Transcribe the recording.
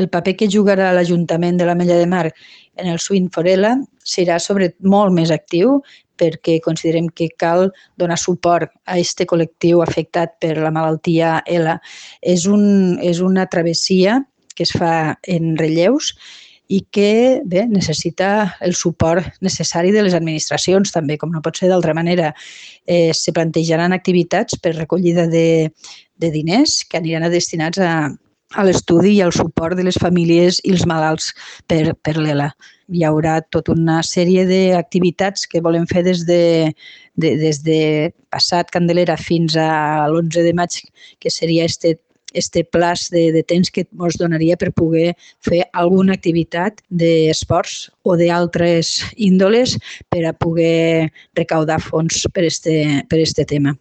el paper que jugarà l'Ajuntament de l'Ametlla de Mar en el Swing for ELA serà molt més actiu, perquè considerem que cal donar suport a aquest col·lectiu afectat per la malaltia ELA. És una travessia que es fa en relleus i que necessita el suport necessari de les administracions també, com no pot ser d'altra manera. Se plantejaran activitats per recollida de diners que aniran destinats a l'estudi i al suport de les famílies i els malalts per l'ELA. Hi haurà tota una sèrie d'activitats que volem fer des de passat Candelera fins a l'11 de maig, que seria este plaç de temps que ens donaria per poder fer alguna activitat d'esports o d'altres índoles per a poder recaudar fons per este tema.